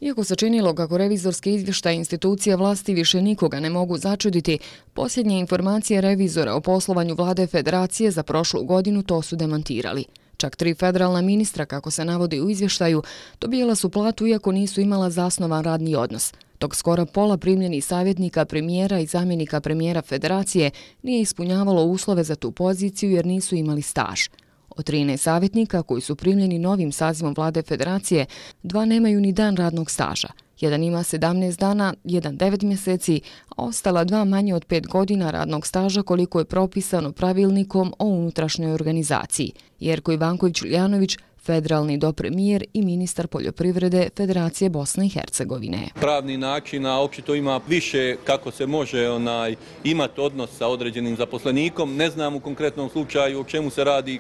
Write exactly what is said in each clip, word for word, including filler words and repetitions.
Iako se činilo kako revizorski izvještaj institucija vlasti više nikoga ne mogu začuditi, posljednje informacije revizora o poslovanju vlade Federacije za prošlu godinu to su demantirali. Čak tri federalna ministra, kako se navodi u izvještaju, dobijala su platu iako nisu imala zasnovan radni odnos, dok skoro pola primljenih savjetnika premijera i zamjenika premijera Federacije nije ispunjavalo uslove za tu poziciju jer nisu imali staž. Od trinaest savjetnika koji su primljeni novim sazivom vlade Federacije, dva nemaju ni dan radnog staža. Jedan ima sedamnaest dana, jedan devet mjeseci, a ostala dva manje od pet godina radnog staža koliko je propisano pravilnikom o unutrašnjoj organizaciji. Jerko Ivanković-Uljanović, federalni dopremijer i ministar poljoprivrede Federacije Bosne i Hercegovine. Pravni način, a očito ima više kako se može onaj, imati odnos sa određenim zaposlenikom. Ne znam u konkretnom slučaju o čemu se radi,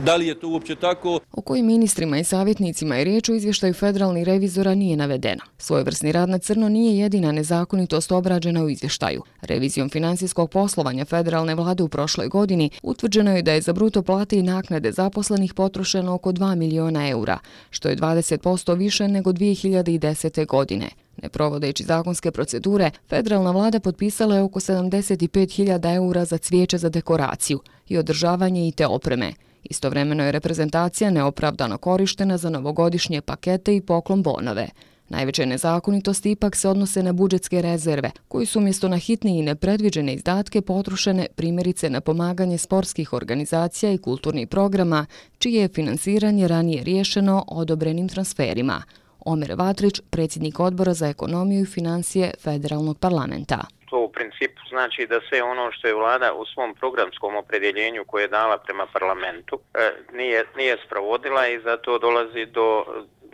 da li je to uopće tako. O kojim ministrima i savjetnicima je riječ u izvještaju federalnih revizora nije navedeno. Svojevrsni rad na crno nije jedina nezakonitost obrađena u izvještaju. Revizijom financijskog poslovanja federalne vlade u prošloj godini utvrđeno je da je za bruto plate i naknade zaposlenih potrošeno oko dva miliona eura, što je dvadeset posto više nego dvije hiljade desete. godine. Ne provodeći zakonske procedure, federalna vlada potpisala je oko sedamdeset pet hiljada eura za cvijeće za dekoraciju i održavanje i te opreme. Istovremeno je reprezentacija neopravdano korištena za novogodišnje pakete i poklon bonove. Najveće nezakonitosti ipak se odnose na budžetske rezerve, koji su umjesto na hitne i nepredviđene izdatke potrošene primjerice na pomaganje sportskih organizacija i kulturnih programa, čije je finansiranje ranije riješeno odobrenim transferima. Omer Vatrić, predsjednik odbora za ekonomiju i financije federalnog parlamenta. To u principu znači da sve ono što je vlada u svom programskom opredjeljenju koje je dala prema parlamentu nije, nije sprovodila i zato dolazi do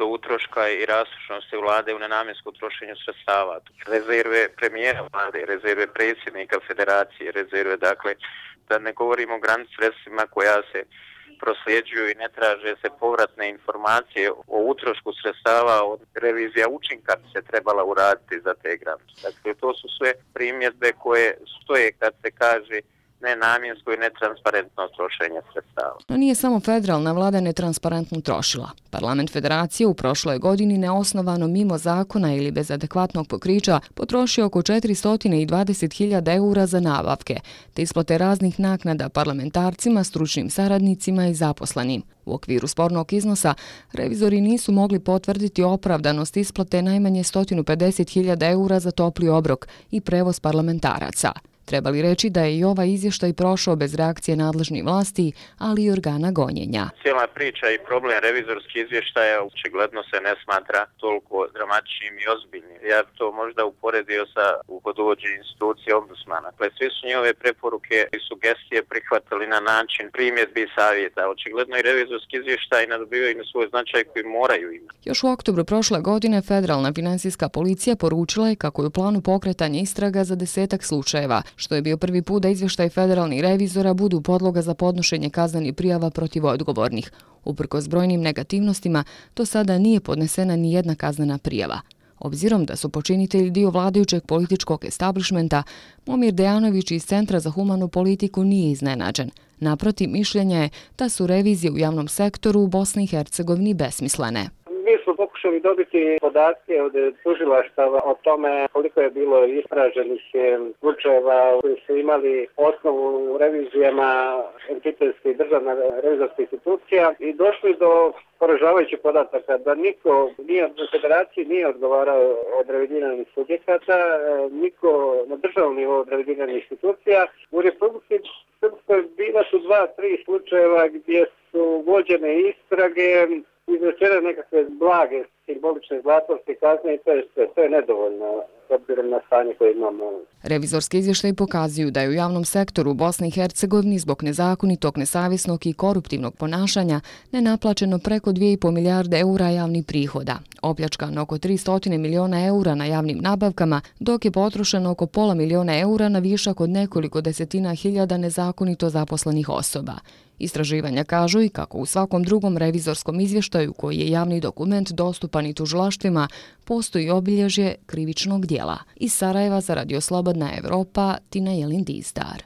do utroška i rastrošnosti vlade u nenamjenskom trošenju sredstava. Rezerve premijera vlade, rezerve predsjednika federacije, rezerve, dakle, da ne govorimo o granic sredstvima koja se prosljeđuju i ne traže se povratne informacije o utrošku sredstava, od revizija učinka bi se trebala uraditi za te granice. Dakle, to su sve primjedbe koje stoje kad se kaže nenamjensko i netransparentno trošenje sredstava. No nije samo federalna vlada netransparentno trošila. Parlament Federacije u prošloj godini neosnovano mimo zakona ili bez adekvatnog pokrića potrošio oko četiristo dvadeset hiljada eura za nabavke, te isplate raznih naknada parlamentarcima, stručnim saradnicima i zaposlenim. U okviru spornog iznosa, revizori nisu mogli potvrditi opravdanost isplate najmanje sto pedeset hiljada eura za topli obrok i prevoz parlamentaraca. Treba li reći da je i ovaj izvještaj prošao bez reakcije nadležnih vlasti, ali i organa gonjenja? Cijela priča i problem revizorskih izvještaja očigledno se ne smatra toliko dramatičnim i ozbiljnim. Ja bi to možda uporedio sa uvodovođenjem institucije ombudsmana. Dakle, svi su njihove preporuke i sugestije prihvatili na način primjedbi i savjeta. Očigledno i revizorski izvještaj ne dobivaju na svoj značaj koji moraju imati. Još u oktobru prošle godine federalna financijska policija poručila je kako je u planu pokretanja istraga za desetak slučajeva, što je bio prvi put da izvještaj federalnih revizora budu podloga za podnošenje kaznenih prijava protiv odgovornih. Uprkos brojnim negativnostima, do sada nije podnesena ni jedna kaznena prijava. Obzirom da su počinitelji dio vladajućeg političkog establishmenta, Momir Dejanović iz Centra za humanu politiku nije iznenađen. Naprotiv, mišljenja je da su revizije u javnom sektoru u Bosni i Hercegovini besmislene. Mi smo pokušali dobiti podatke od tužilaštava o tome koliko je bilo istraženih slučajeva koji su imali osnovu u revizijama entitetskih i državna revizorskih institucija i došli do poražavajućih podataka da niko nije od federacije nije odgovarao od revidiranih subjekata, niko na državnom nivou od revidiranih institucija. U Republici Srpskoj bila su dva, tri slučajeva gdje su vođene istrage, izrečene nekakve blage simbolične zatvorske kazne i to je sve. To je nedovoljno s obzirom na stanje koje imamo. Revizorski izvještaji pokazuju da je u javnom sektoru u Bosni i Hercegovini zbog nezakonitog, nesavjesnog i koruptivnog ponašanja nenaplaćeno preko dvije i pol milijarde eura javnih prihoda, opljačkano oko tristo miliona eura na javnim nabavkama, dok je potrošeno oko pola miliona eura na višak od nekoliko desetina hiljada nezakonito zaposlenih osoba. Istraživanja kažu i kako u svakom drugom revizorskom izvještaju koji je javni dokument dostupan i tužilaštvima, postoji obilježje krivičnog dijela. Iz Sarajeva za Radio Slobodna Evropa, Tina Jelin Dizdar.